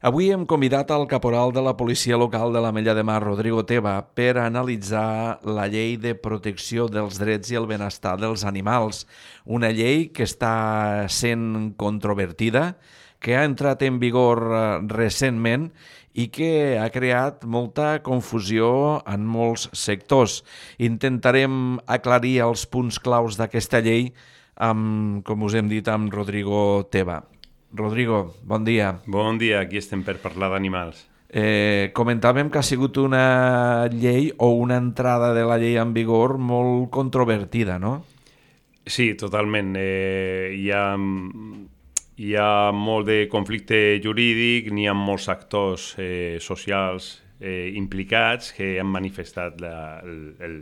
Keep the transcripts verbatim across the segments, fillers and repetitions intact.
Avui hem convidat al caporal de la policia local de l'Ametlla de Mar, Rodrigo Teba, per analitzar la llei de protecció dels drets i el benestar dels animals, una llei que està sent controvertida, que ha entrat en vigor recentment i que ha creat molta confusió en molts sectors. Intentarem aclarir els punts claus d'aquesta llei amb, com us hem dit, amb Rodrigo Teba. Rodrigo, bon dia. Bon dia, aquí estem per parlar d'animals. Eh, comentàvem que ha sigut una llei o una entrada de la llei en vigor molt controvertida, no? Sí, totalment. Eh, hi ha... Hi ha molt de conflicte jurídic, n'hi ha molts actors eh, socials eh, implicats que han manifestat la, el, el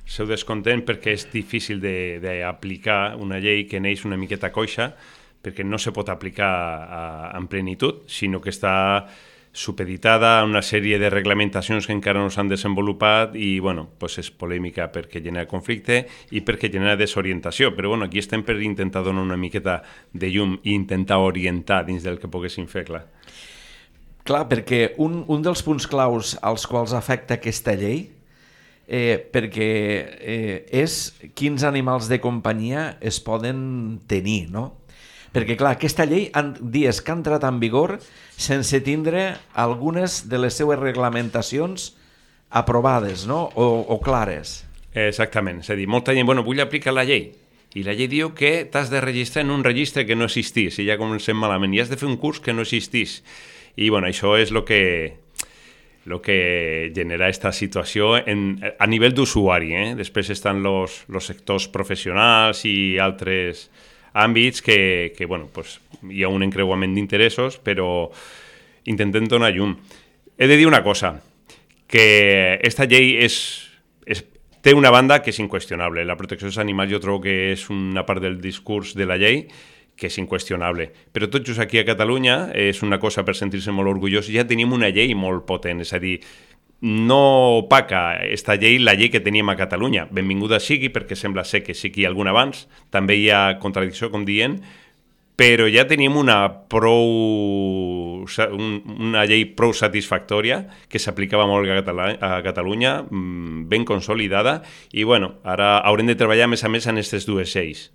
seu descontent perquè és difícil d'aplicar una llei que neix una miqueta coixa, perquè no se pot aplicar a, en plenitud, sinó que està supeditada a una sèrie de reglamentacions que encara no s'han desenvolupat i bueno, pues és polèmica perquè genera conflicte i perquè genera desorientació, però bueno, aquí estem per intentar donar una miqueta de llum i intentar orientar dins del que poguéssim fer, clar. Clar, perquè un, un dels punts claus als quals afecta aquesta llei eh, perquè eh, és quins animals de companyia es poden tenir, no? Perquè, clar, aquesta llei han dies que ha entrat en vigor sense tindre algunes de les seues reglamentacions aprovades, no? O, o clares. Exactament. És a dir, molta gent, bueno, vull aplicar la llei. I la llei diu que t'has de registrar en un registre que no existís, i ja comencem malament. I has de fer un curs que no existís. I, bueno, això és el que... el que genera aquesta situació en, a nivell d'usuari. Eh? Després estan els sectors professionals i altres àmbits que, que bueno, pues, hi ha un encreuament d'interessos, però intentem donar llum. He de dir una cosa, que aquesta llei és, és, té una banda que és inqüestionable. La protecció dels animals jo trobo que és una part del discurs de la llei que és inqüestionable. Però tot just aquí a Catalunya és una cosa per sentir-se molt orgullós. Ja tenim una llei molt potent, és a dir, no opaca aquesta llei la llei que teníem a Catalunya. Benvinguda sigui, perquè sembla ser que sí que hi ha algun abans. També hi ha contradicció, com dient, però ja tenim una prou una llei prou satisfactòria que s'aplicava molt a Catalunya, ben consolidada, i bueno, ara haurem de treballar més a més en aquestes dues lleis.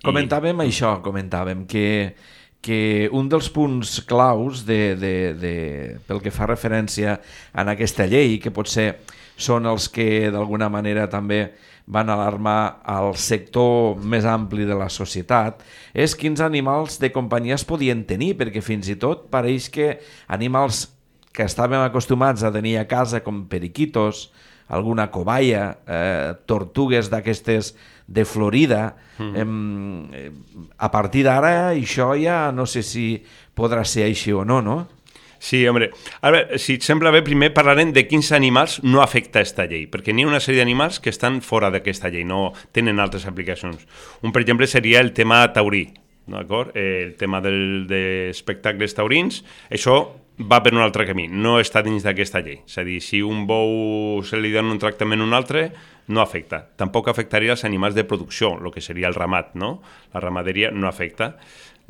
Comentàvem I... això, comentàvem que, que un dels punts claus de, de, de, pel que fa referència a aquesta llei, que potser són els que d'alguna manera també van alarmar al sector més ampli de la societat, és quins animals de companyia es podien tenir, perquè fins i tot pareix que animals que estàvem acostumats a tenir a casa, com periquitos, alguna cobaia, eh, tortugues d'aquestes de Florida, mm. eh, a partir d'ara això ja no sé si podrà ser així o no, no? Sí, home, a veure, si et sembla bé, primer parlarem de quins animals no afecta aquesta llei, perquè n'hi ha una sèrie d'animals que estan fora d'aquesta llei, no tenen altres aplicacions. Un, per exemple, seria el tema taurí, d'acord? El tema del, d'espectacles taurins, això va per un altre camí, no està dins d'aquesta llei. És a dir, si un bou se li dona un tractament a un altre, no afecta. Tampoc afectaria els animals de producció, el que seria el ramat, no? La ramaderia no afecta.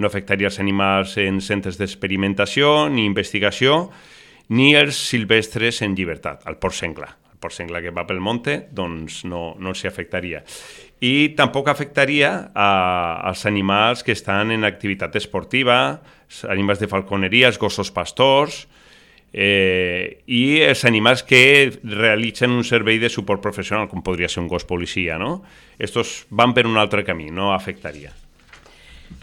No afectaria els animals en centres d'experimentació, ni investigació, ni els silvestres en llibertat, el porc senglar. El porc senglar que va pel monte, doncs no, no s'hi afectaria. I tampoc afectaria a, als animals que estan en activitat esportiva, animals de falconeria, els gossos pastors, eh, i els animals que realitzen un servei de suport professional, com podria ser un gos policia, no? Estos van per un altre camí, no afectaria.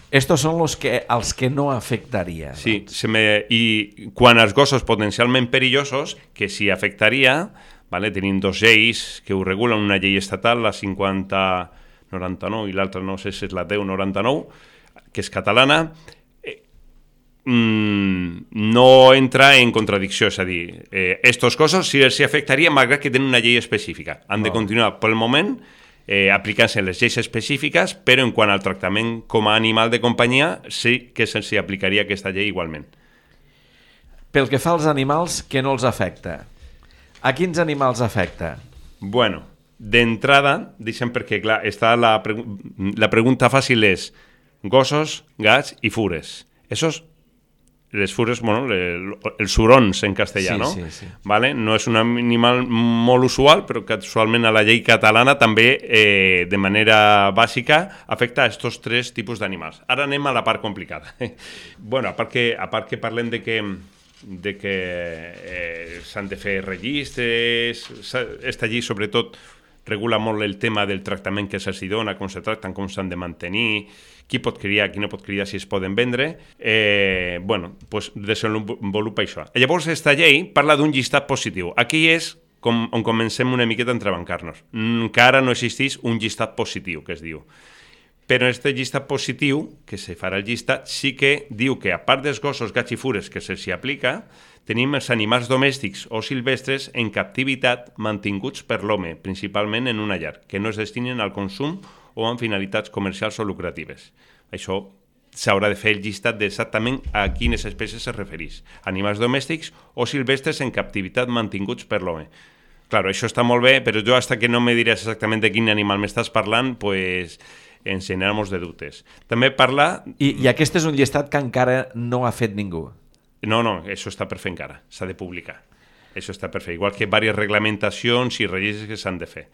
Estos són los que, els que no afectaria. Sí, se me, i quan els gossos potencialment perillosos, que sí afectaria, vale? Tenim dos lleis que ho regulen, una llei estatal, la cinquanta noranta-nou, i l'altra no sé si és la deu noranta-nou, que és catalana, eh, mm, no entra en contradicció, és a dir, eh, estos gossos sí els afectaria malgrat que tenen una llei específica. Han de continuar pel moment Eh, aplicant-se les lleis específiques, però en quant al tractament com a animal de companyia sí que se'ls aplicaria aquesta llei igualment. Pel que fa als animals, que no els afecta? A quins animals afecta? Bueno, d'entrada, deixem perquè, clar, està la, la pregunta fàcil és gossos, gats i fures. Esos les fures, bueno, le, els hurons en castellà, sí, no? Sí, sí. Vale? No és un animal molt usual, però casualment a la llei catalana també, eh, de manera bàsica, afecta a aquests tres tipus d'animals. Ara anem a la part complicada. bueno, a part que, a part que parlem de que de que eh, s'han de fer registres, esta llei sobretot regula molt el tema del tractament que se'ls dona, com se tracten, com s'han de mantenir, qui pot criar, qui no pot criar, si es poden vendre. Eh, bueno, pues desenvolupa això. Llavors, aquesta llei parla d'un llistat positiu. Aquí és com, on comencem una miqueta a entrebancar-nos. Encara no existeix un llistat positiu, que es diu. Però en aquest llistat positiu, que se farà el llistat, sí que diu que, a part dels gossos, gats i fures que se'ls aplica, tenim els animals domèstics o silvestres en captivitat mantinguts per l'home, principalment en una llar, que no es destinen al consum o amb finalitats comercials o lucratives. Això s'haurà de fer el llistat d'exactament a quines espècies es refereix. Animals domèstics o silvestres en captivitat mantinguts per l'home. Claro, això està molt bé, però jo, hasta que no me diràs exactament de quin animal m'estàs parlant, pues ens generamos de dubtes. També parla... I, I aquest és un llistat que encara no ha fet ningú. No, no, això està per fer encara, s'ha de publicar. Això està per fer, igual que diverses reglamentacions i registres que s'han de fer.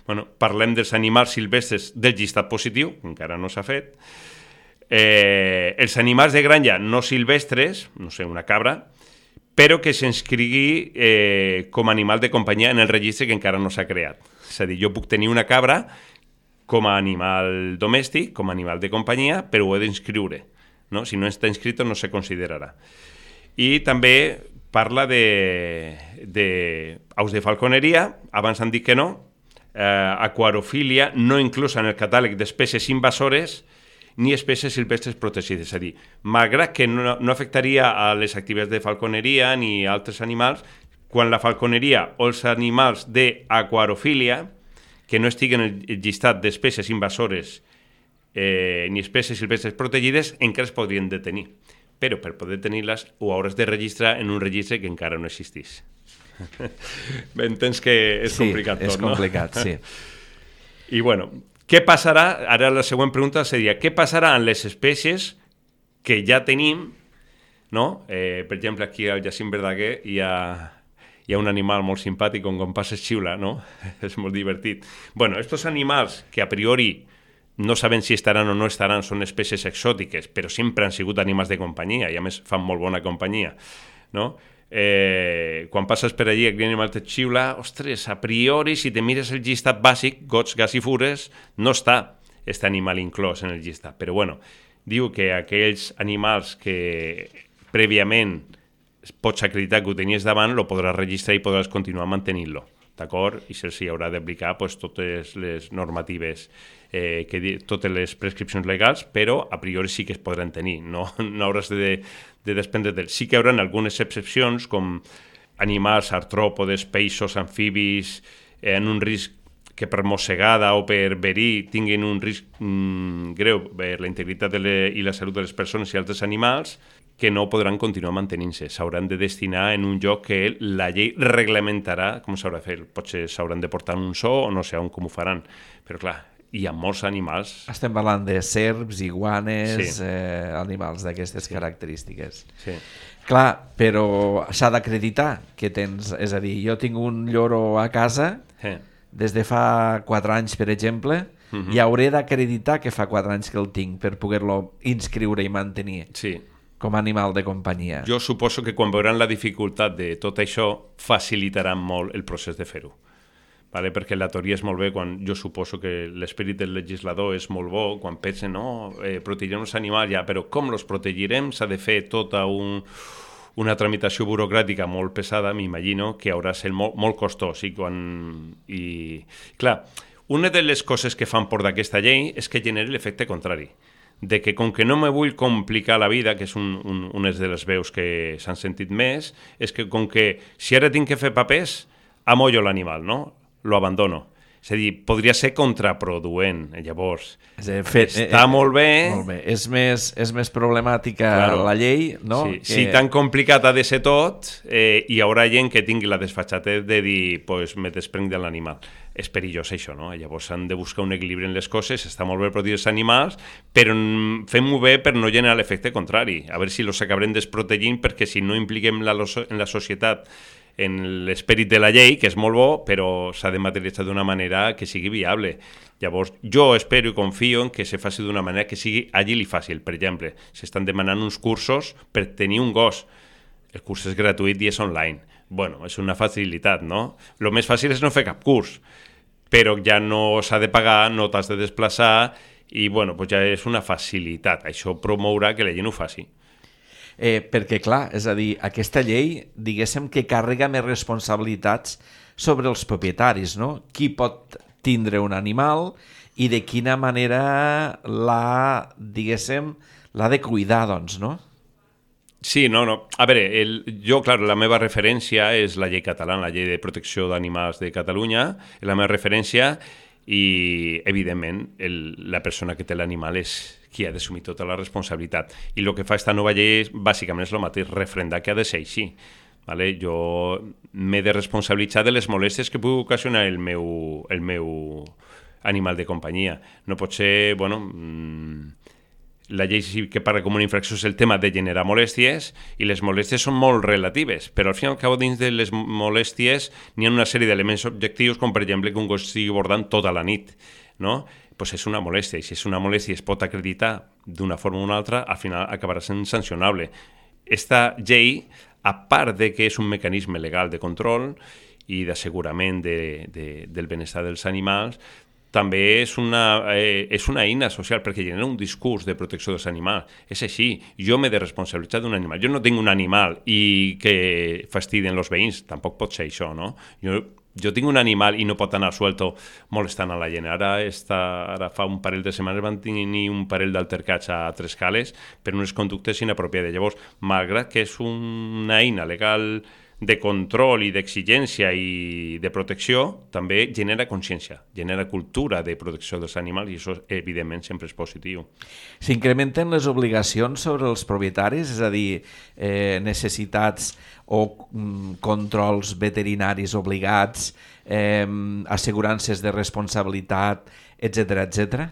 Bueno, parlem dels animals silvestres del llistat positiu, que encara no s'ha fet. Eh, els animals de granja no silvestres, no sé, una cabra, però que s'inscrigui eh, com a animal de companyia en el registre que encara no s'ha creat. És a dir, jo puc tenir una cabra com a animal domèstic, com a animal de companyia, però ho he d'inscriure. No? Si no està inscrit no se considerarà. I també parla de, de aus de falconeria, abans han dit que no, eh, aquarofília no inclusa en el catàleg d'espècies invasores ni espècies silvestres protegides. És a dir, malgrat que no, no afectaria a les activitats de falconeria ni a altres animals, quan la falconeria o els animals d'aquarofília que no estiguen en el llistat d'espècies invasores eh, ni espècies silvestres protegides encara es podrien detenir. Però per poder tenir-les ho hauràs de registrar en un registre que encara no existeix. Entens que és sí, complicat tot, és complicat, no? sí. I bueno, què passarà? Ara la següent pregunta seria, què passarà amb les espècies que ja tenim, no? Eh, per exemple, aquí al Jacint Verdaguer hi ha... hi ha un animal molt simpàtic on quan passes xiula, no? És molt divertit. Bueno, estos animals que a priori no saben si estaran o no estaran, són espècies exòtiques, però sempre han sigut animals de companyia i a més fan molt bona companyia, no? Eh, quan passes per allí aquell animal te xiula, ostres, a priori si te mires el llistat bàsic, gots, gats i fures, no està aquest animal inclòs en el llistat, però bueno, diu que aquells animals que prèviament pots acreditar que ho tenies davant, lo podràs registrar i podràs continuar mantenint-lo, d'acord? I se'ls haurà d'aplicar pues, totes les normatives, eh, que di- totes les prescripcions legals, però a priori sí que es podran tenir, no, no hauràs de, de desprendre del. Sí que hi haurà algunes excepcions, com animals, artròpodes, peixos, amfibis, eh, en un risc que per mossegada o per verí tinguin un risc mm, greu per la integritat de le, i la salut de les persones i altres animals, que no podran continuar mantenint-se. S'hauran de destinar en un lloc que la llei reglamentarà com s'haurà de fer. Potser s'hauran de portar en un zoo o no sé on com ho faran. Però clar, hi ha molts animals. Estem parlant de serps, iguanes, Sí. eh, animals d'aquestes característiques. Sí. Clar, però s'ha d'acreditar que tens... És a dir, jo tinc un lloro a casa Eh. des de fa quatre anys, per exemple, Mhm. i hauré d'acreditar que fa quatre anys que el tinc per poder-lo inscriure i mantenir Sí. com a animal de companyia. Jo suposo que quan veuran la dificultat de tot això, facilitaran molt el procés de fer-ho. Vale? Perquè la teoria és molt bé, quan jo suposo que l'esperit del legislador és molt bo, quan pensen, no, eh, protegirem els animals, ja, però com els protegirem? S'ha de fer tota un, una tramitació burocràtica molt pesada, m'imagino, que haurà de ser molt, molt costós. I, quan, i clar, una de les coses que fan por d'aquesta llei és que generi l'efecte contrari, de que com que no me vull complicar la vida, que és un, un, una de les veus que s'han sentit més, és que com que si ara tinc que fer papers, amollo l'animal, no? Lo abandono. És a dir, podria ser contraproduent, llavors. És a dir, fet, Està eh, molt bé. Molt bé. És més, és més problemàtica Claro. la llei, no? Sí, que... Si tan complicat ha de ser tot, eh, hi haurà gent que tingui la desfatxatez de dir, pues me desprenc de l'animal. és perillós això, no? Llavors s'han de buscar un equilibri en les coses, està molt bé protegir els animals, però fem-ho bé per no generar l'efecte contrari, a veure si els acabarem desprotegint, perquè si no impliquem la, en la societat en l'esperit de la llei, que és molt bo, però s'ha de materialitzar d'una manera que sigui viable. Llavors, jo espero i confio en que se faci d'una manera que sigui àgil i fàcil. Per exemple, s'estan demanant uns cursos per tenir un gos. El curs és gratuït i és online. Bueno, és una facilitat, no? El més fàcil és no fer cap curs, però ja no s'ha de pagar, no t'has de desplaçar i, bueno, pues ja és una facilitat. Això promourà que la gent ho faci. Eh, perquè, clar, és a dir, aquesta llei, diguéssim que carrega més responsabilitats sobre els propietaris, no? Qui pot tindre un animal i de quina manera l'ha, diguéssim, l'ha de cuidar, doncs, no? Sí, no, no. A veure, el, jo, clar, la meva referència és la llei catalana, la llei de protecció d'animals de Catalunya, és la meva referència i, evidentment, el, la persona que té l'animal és qui ha d'assumir tota la responsabilitat. I el que fa esta nova llei és, bàsicament és el mateix, refrendar que ha de ser així. Vale? Jo m'he de responsabilitzar de les molèsties que pugui ocasionar el meu, el meu animal de companyia. No pot ser, bueno, mmm, la llei sí que parla com una infracció és el tema de generar molèsties i les molèsties són molt relatives, però al fin i al cabo dins de les molèsties n'hi ha una sèrie d'elements objectius, com per exemple que un gos estigui bordant tota la nit, no? Pues és una molèstia, i si és una molèstia es pot acreditar d'una forma o una altra, al final acabarà sent sancionable. Esta llei, a part de que és un mecanisme legal de control i d'assegurament de, de, del benestar dels animals, també és una, eh, és una eina social, perquè genera un discurs de protecció dels animals. És així, jo m'he de responsabilitzar d'un animal. Jo no tinc un animal i que fastidien els veïns, tampoc pot ser això, no? Jo, jo tinc un animal i no pot anar suelto molestant a la gent. Ara, està, ara fa un parell de setmanes van tenir un parell d'altercats a Tres Cales per unes conductes inapropiades. Llavors, malgrat que és una eina legal de control i d'exigència i de protecció, també genera consciència, genera cultura de protecció dels animals i això, evidentment, sempre és positiu. S'incrementen les obligacions sobre els propietaris, és a dir, eh, necessitats o mm, controls veterinaris obligats, eh, assegurances de responsabilitat, etcètera, etcètera?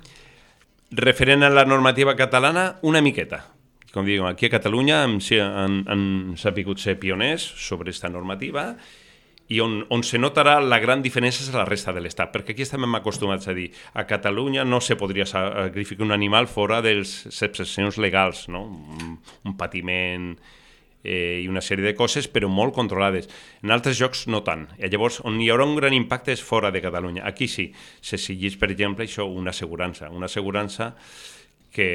Referent a la normativa catalana, una miqueta. Com diguem, aquí a Catalunya hem, han, han sabut ser pioners sobre aquesta normativa i on, on se notarà la gran diferència és a la resta de l'Estat, perquè aquí estem acostumats a dir a Catalunya no se podria sacrificar un animal fora dels excepcions legals, no? un, un patiment eh, i una sèrie de coses, però molt controlades. En altres llocs no tant. I llavors, on hi haurà un gran impacte és fora de Catalunya. Aquí sí, s'exigeix, per exemple, això, una assegurança, una assegurança que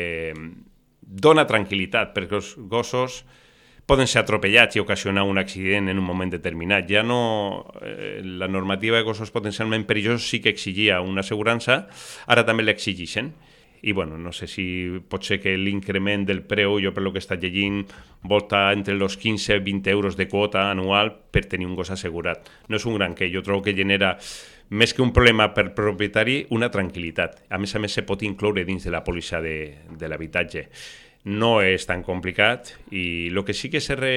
dona tranquil·litat, perquè els gossos poden ser atropellats i ocasionar un accident en un moment determinat. Ja no... Eh, la normativa de gossos potencialment perillosos sí que exigia una assegurança, ara també l'exigeixen. I, bueno, no sé si pot ser que l'increment del preu, jo per lo que he estat llegint, volta entre els quinze i vint euros de quota anual per tenir un gos assegurat. No és un gran que, jo trobo que genera, més que un problema per propietari, una tranquil·litat. A més a més, se pot incloure dins de la pòlissa de, de l'habitatge. No és tan complicat i el que sí que se, re,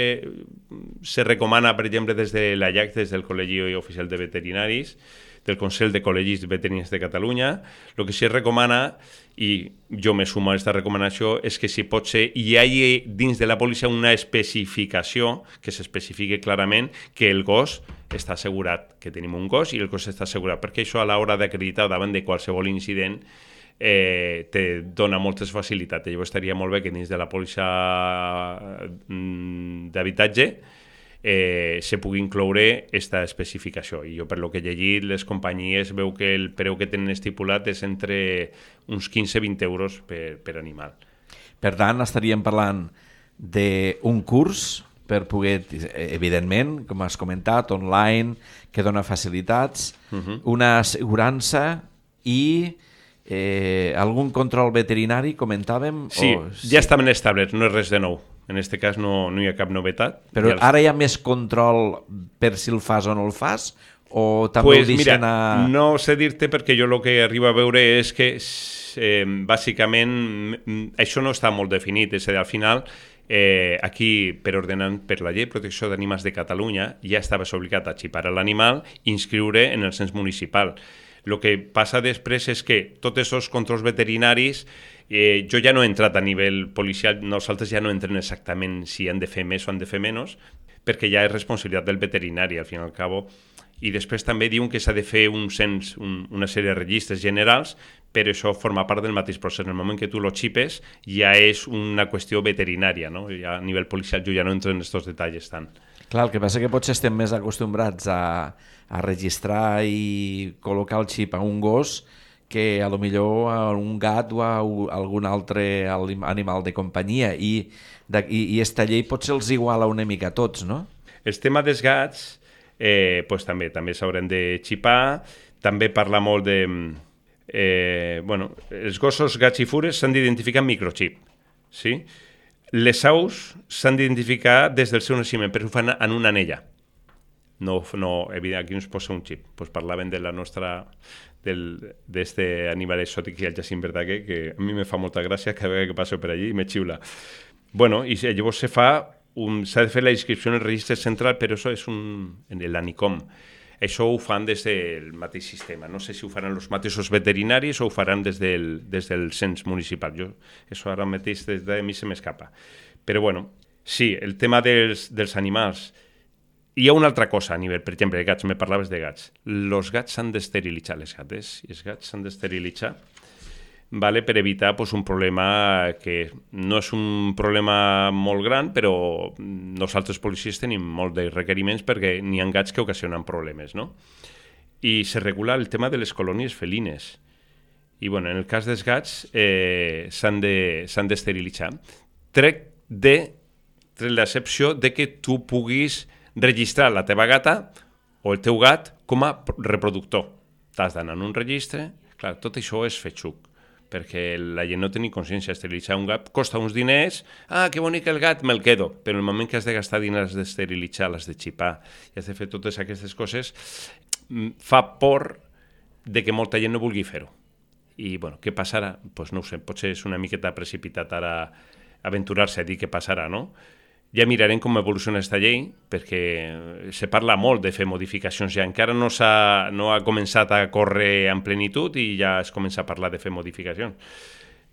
se recomana, per exemple, des de l'A I A C, des del Col·legi Oficial de Veterinaris, del Consell de Col·legis Veterinaris de Catalunya, el que sí es recomana, i jo me sumo a aquesta recomanació, és que si pot ser hi hagi dins de la pòlissa una especificació que s'especifique clarament que el gos està assegurat, que tenim un gos i el gos està assegurat, perquè això a l'hora d'acreditar davant de qualsevol incident eh, te dona moltes facilitats. Llavors estaria molt bé que dins de la pòlissa d'habitatge eh, se pugui incloure aquesta especificació. I jo, per lo que he llegit, les companyies veu que el preu que tenen estipulat és entre uns quinze a vint euros per, per animal. Per tant, estaríem parlant d'un curs per poder, evidentment, com has comentat, online, que dona facilitats, uh-huh. una assegurança i eh, algun control veterinari, comentàvem? Sí, o... ja estaven establerts, no és res de nou. En aquest cas no, no hi ha cap novetat. Però els... ara hi ha més control per si el fas o no el fas? O també pues ho deixen mira, a... no sé dir-te perquè jo el que arribo a veure és que eh, bàsicament això no està molt definit, és a dir, al final Eh, aquí, per ordenant per la llei de protecció d'animals de Catalunya, ja estaves obligat a xipar l'animal i inscriure en el cens municipal. El que passa després és que tots aquests controls veterinaris, eh, jo ja no he entrat a nivell policial, nosaltres ja no entrem exactament si han de fer més o han de fer menys, perquè ja és responsabilitat del veterinari, al fin i al cabo. I després també diuen que s'ha de fer un cens, un, una sèrie de registres generals, però això forma part del mateix procés. En el moment que tu lo xipes ja és una qüestió veterinària, no? Ja a nivell policial jo ja no entro en aquests detalls tant. Clar, el que passa que potser estem més acostumbrats a, a registrar i col·locar el xip a un gos que a lo millor a un gat o a algun altre animal de companyia i, de, i, i esta llei potser els iguala una mica a tots, no? El tema dels gats eh, pues també també s'hauran de xipar, també parla molt de... Eh, bueno, els gossos, gats i fures s'han d'identificar amb microxip, sí? Les aus s'han d'identificar des del seu naixement, però ho fan en una anella. No, no, evident, aquí no es posa un xip. Pues parlaven de la nostra, d'este animal exòtic que hi ha el Jacint Verdaguer, que a mi me fa molta gràcia cada vegada que passo per allí i me xiula. Bueno, i llavors se fa, s'ha de fer la inscripció en el registre central, però això és un, en l'ANICOM. Això ho fan des del mateix sistema. No sé si ho faran els mateixos veterinaris o ho faran des del, des del cens municipal. Jo, això ara mateix des de mi se m'escapa. Però bueno, sí, el tema dels, dels animals. Hi ha una altra cosa a nivell, per exemple, de gats, me parlaves de gats. Els gats s'han d'esterilitzar, les gates, i els gats s'han d'esterilitzar, vale, per evitar pues, un problema que no és un problema molt gran, però nosaltres policies tenim molt de requeriments perquè n'hi ha gats que ocasionen problemes, no? I se regula el tema de les colònies felines. I bueno, en el cas dels gats eh, s'han de, s'han d'esterilitzar. Trec de l'excepció de que tu puguis registrar la teva gata o el teu gat com a reproductor. T'has d'anar en un registre, clar, tot això és fetxuc, perquè la gent no té ni consciència. Esterilitzar un gat costa uns diners, ah, que bonic el gat, me'l quedo, però en el moment que has de gastar diners, has d'esterilitzar, l'has de xipar, i has de fer totes aquestes coses, fa por de que molta gent no vulgui fer-ho. I, bueno, què passarà? Doncs pues no ho sé, potser és una miqueta precipitat ara aventurar-se a dir què passarà, no? Ja mirarem com evoluciona aquesta llei, perquè se parla molt de fer modificacions ja. Encara no, s'ha, no ha començat a córrer en plenitud i ja es comença a parlar de fer modificacions.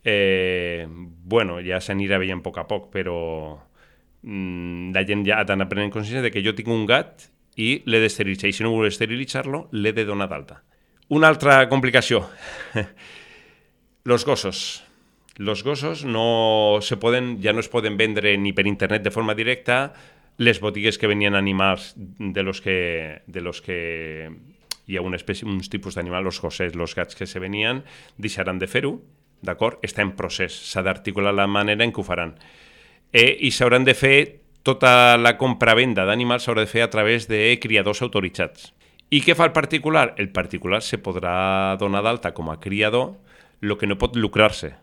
Eh, bueno, ja s'anirà veient a poc a poc, però mm, la gent ja ha d'anar prenent consciència de que jo tinc un gat i l'he d'esterilitzar, i si no vull esterilitzar-lo, l'he de donar d'alta. Una altra complicació. Los gossos. Los gossos no se poden, ja no es poden vendre ni per internet de forma directa. Les botigues que venien animals de los que, de los que hi ha una espècie, uns tipus d'animal, els gossets, els gats que se venien, deixaran de fer-ho, d'acord? Està en procés, s'ha d'articular la manera en què ho faran. Eh, I s'hauran de fer, tota la compra-venda d'animals s'haurà de fer a través de criadors autoritzats. I què fa el particular? El particular se podrà donar d'alta com a criador, el que no pot lucrar-se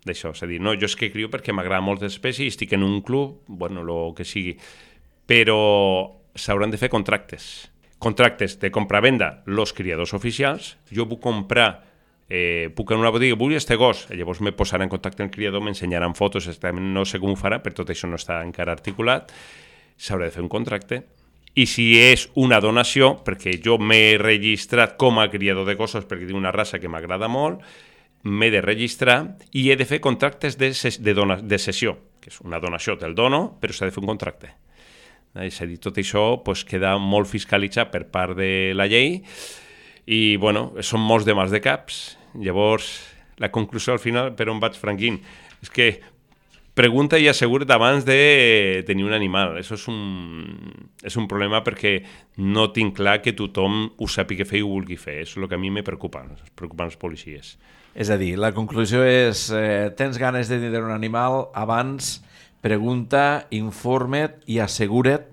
d'això, és a dir, no, jo és que crio perquè m'agrada moltes espècies, estic en un club, bueno, el que sigui, però s'hauran de fer contractes. Contractes de compra-venda, els criadors oficials, jo puc comprar, eh, puc en una botiga, vull este gos, llavors me posarà en contacte amb el criador, m'ensenyaran fotos, no sé com ho farà, però tot això no està encara articulat, s'haurà de fer un contracte, i si és una donació, perquè jo m'he registrat com a criador de gossos perquè tinc una raça que m'agrada molt, m'he de registrar i he de fer contractes de, ses, de, dona, de cessió, que és una donació, te'l dono, però s'ha de fer un contracte. És a dir, tot això pues, queda molt fiscalitzat per part de la llei i, bueno, són molts de mals de caps. Llavors, la conclusió al final, per on vaig, Franquín, és que pregunta i assegura't abans de tenir un animal. Això és un, és un problema perquè no tinc clar que tothom ho sàpiga fer i ho vulgui fer. Això és el que a mi me preocupa, es preocupen els policies. És a dir, la conclusió és, eh, tens ganes de tenir un animal, abans pregunta, informa't i assegura't,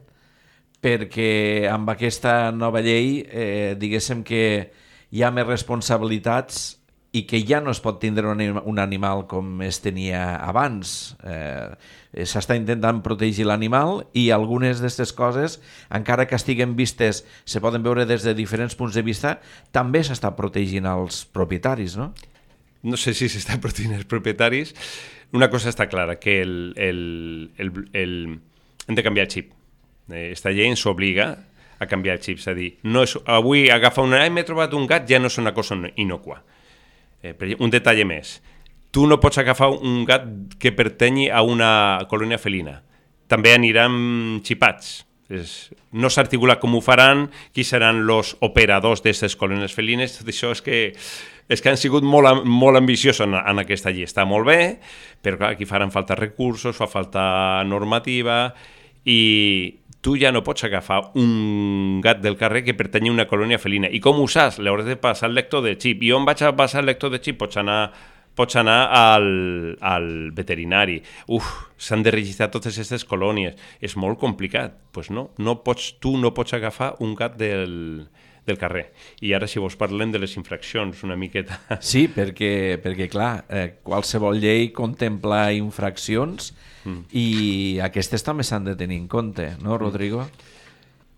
perquè amb aquesta nova llei, eh, diguéssim que hi ha més responsabilitats i que ja no es pot tindre un animal com es tenia abans. Eh, s'està intentant protegir l'animal i algunes d'aquestes coses, encara que estiguen vistes, se poden veure des de diferents punts de vista, també s'està protegint els propietaris, no? no sé si s'està protegint els propietaris. Una cosa està clara, que el, el, el, el, hem de canviar el xip. Esta llei ens obliga a canviar el xip, és a dir, no és, avui agafar una... Ai, m'he trobat un gat, ja no és una cosa inocua. Eh, un detall més. Tu no pots agafar un gat que pertanyi a una colònia felina. També aniran xipats. És, no s'articula com ho faran, qui seran els operadors d'aquestes colònies felines. Tot això és que, és que han sigut molt, molt ambiciosos en, en aquesta llei. Està molt bé, però clar, aquí faran falta recursos, fa falta normativa, i tu ja no pots agafar un gat del carrer que pertanyi a una colònia felina. I com ho saps? L'hauràs de passar el lector de xip. I on vaig a passar el lector de xip? Pots anar... pots anar al, al veterinari. Uf, s'han de registrar totes aquestes colònies. És molt complicat. Doncs pues no, no pots, tu no pots agafar un gat del, del carrer. I ara, si vols, parlem de les infraccions una miqueta. Sí, perquè, perquè clar, eh, qualsevol llei contempla infraccions mm. i aquestes també s'han de tenir en compte, no, Rodrigo?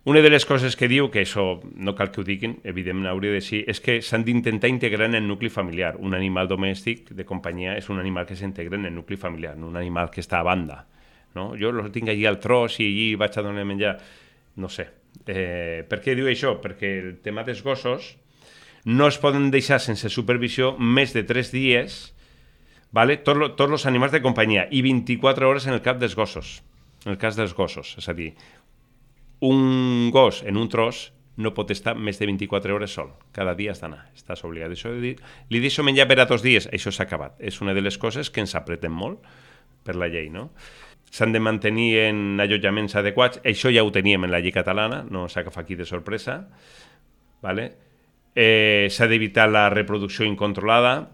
Una de les coses que diu, que això no cal que ho diguin, evidentment hauria de ser, és que s'han d'intentar integrar en el nucli familiar. Un animal domèstic de companyia és un animal que s'integra en el nucli familiar, no un animal que està a banda. No? Jo el tinc allí al tros i allí vaig a donar menjar. No sé. Eh, per què diu això? Perquè el tema dels gossos no es poden deixar sense supervisió més de tres dies, vale? Tots tot els animals de companyia, i vint-i-quatre hores en el cap dels gossos. En el cas dels gossos, és a dir, un gos en un tros no pot estar més de vint-i-quatre hores sol. Cada dia has d'anar, estàs obligat. Això de dir, li deixo menjar per a dos dies, això s'ha acabat. És una de les coses que ens apreten molt per la llei, no? S'han de mantenir en allotjaments adequats, això ja ho teníem en la llei catalana, no s'ha agafat aquí de sorpresa, vale? Eh, s'ha d'evitar la reproducció incontrolada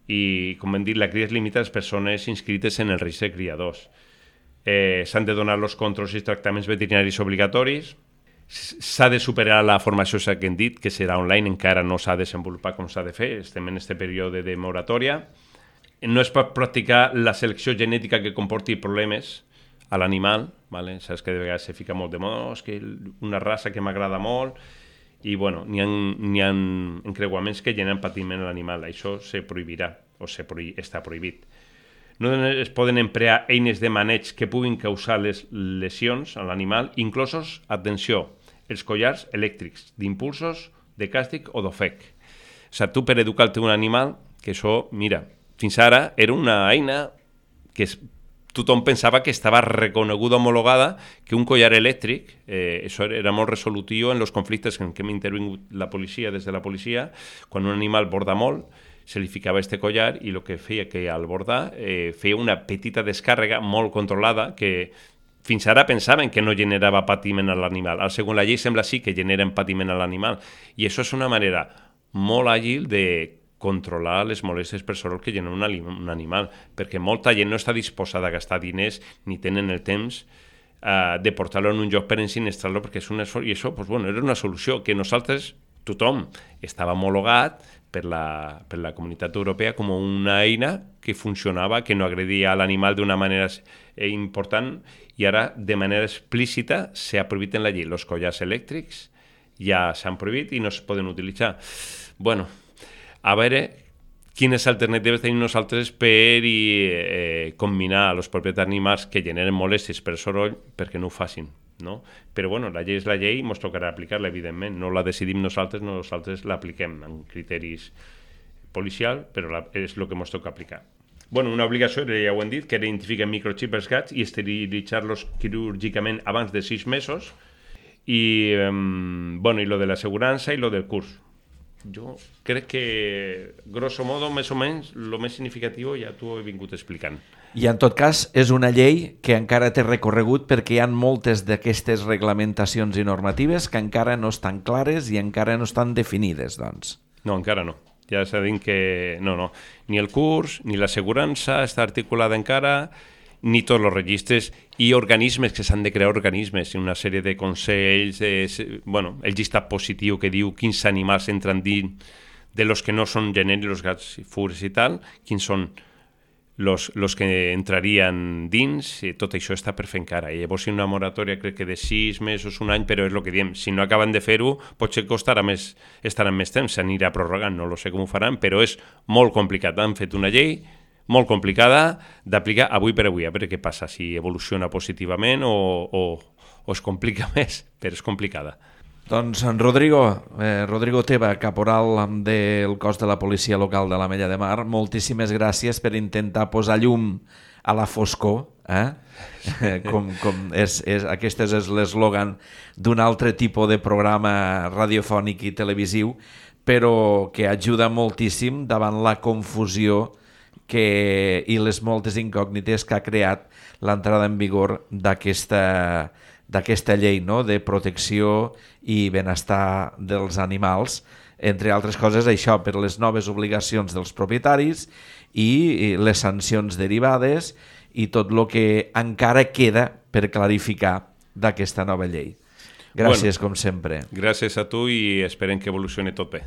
i, com hem dit, la cria es limita a les persones inscrites en el registre de criadors. Eh, s'han de donar els controls i tractaments veterinaris obligatoris, s'ha de superar la formació que hem dit, que serà online, encara no s'ha desenvolupat com s'ha de fer, estem en aquest període de moratòria. No es pot practicar la selecció genètica que comporti problemes a l'animal, ¿vale? Saps que de vegades se fica molt de moda, oh, és que una raça que m'agrada molt, i bueno, n'hi ha, n'hi ha encreuaments que generen patiment a l'animal, això se prohibirà, o se prohi- està prohibit. No es poden emplear eines de maneig que puguin causar les lesions a l'animal, inclosos, atenció, els collars elèctrics, d'impulsos, de càstig o d'ofec. O sigui, tu per educar el teu animal, que això, mira, fins ara era una eina que es, tothom pensava que estava reconeguda, homologada, que un collar elèctric, eh, això era molt resolutiu en els conflictes en què hem intervingut la policia, des de la policia, quan un animal borda molt, se li ficava este collar i el que feia que al bordar eh, feia una petita descàrrega molt controlada que fins ara pensaven que no generava patiment a l'animal. Al segons la llei sembla sí que generen patiment a l'animal i això és una manera molt àgil de controlar les molèsties per soroll que genera un, un animal, perquè molta gent no està disposada a gastar diners ni tenen el temps uh, de portar-lo en un lloc per ensinistrar-lo perquè és un esforç, i això pues, bueno, era una solució que nosaltres, tothom, estava homologat per la, per la comunitat europea com una eina que funcionava, que no agredia a l'animal d'una manera important i ara de manera explícita s'ha prohibit en la llei. Els collars elèctrics ja s'han prohibit i no es poden utilitzar. Bueno, a veure quines alternatives tenim nosaltres per eh, combinar els propietaris d'animals que generen molèsties per soroll perquè no ho facin. No? Però bueno, la llei és la llei i ens tocarà aplicar-la, evidentment. No la decidim nosaltres, nosaltres l'apliquem amb criteris policial, però la, és el que ens toca aplicar. Bueno, una obligació, ja ho hem dit, que era identificar microxip als gats i esterilitzar-los quirúrgicament abans de sis mesos i, eh, bueno, i lo de l'assegurança i lo del curs. Jo crec que, grosso modo, més o menys, el més significatiu ja t'ho he vingut explicant. I en tot cas és una llei que encara té recorregut perquè hi ha moltes d'aquestes reglamentacions i normatives que encara no estan clares i encara no estan definides, doncs. No, encara no. Ja s'ha dit que no, no. Ni el curs, ni l'assegurança està articulada encara, ni tots els registres i organismes que s'han de crear organismes, una sèrie de consells, de, bueno, el llistat positiu que diu quins animals entren dins de los que no són genèrics, els gats, furs i tal, quins són los, los que entrarien dins, i tot això està per fer encara. I llavors hi ha una moratòria, crec que de sis mesos, un any, però és el que diem, si no acaben de fer-ho, potser costarà més, estaran més temps, s'anirà prorrogant, no lo sé com ho faran, però és molt complicat. Han fet una llei molt complicada d'aplicar avui per avui, a veure què passa, si evoluciona positivament o, o, o es complica més, però és complicada. Doncs en Rodrigo, eh, Rodrigo Teba, caporal del cos de la policia local de l'Ametlla de Mar, moltíssimes gràcies per intentar posar llum a la foscor, eh? com, com és, és, aquest és l'eslògan d'un altre tipus de programa radiofònic i televisiu, però que ajuda moltíssim davant la confusió que, i les moltes incògnites que ha creat l'entrada en vigor d'aquesta d'aquesta llei, no?, de protecció i benestar dels animals, entre altres coses això, per les noves obligacions dels propietaris i les sancions derivades i tot el que encara queda per clarificar d'aquesta nova llei. Gràcies, bueno, com sempre. Gràcies a tu i esperem que evolucioni tot bé.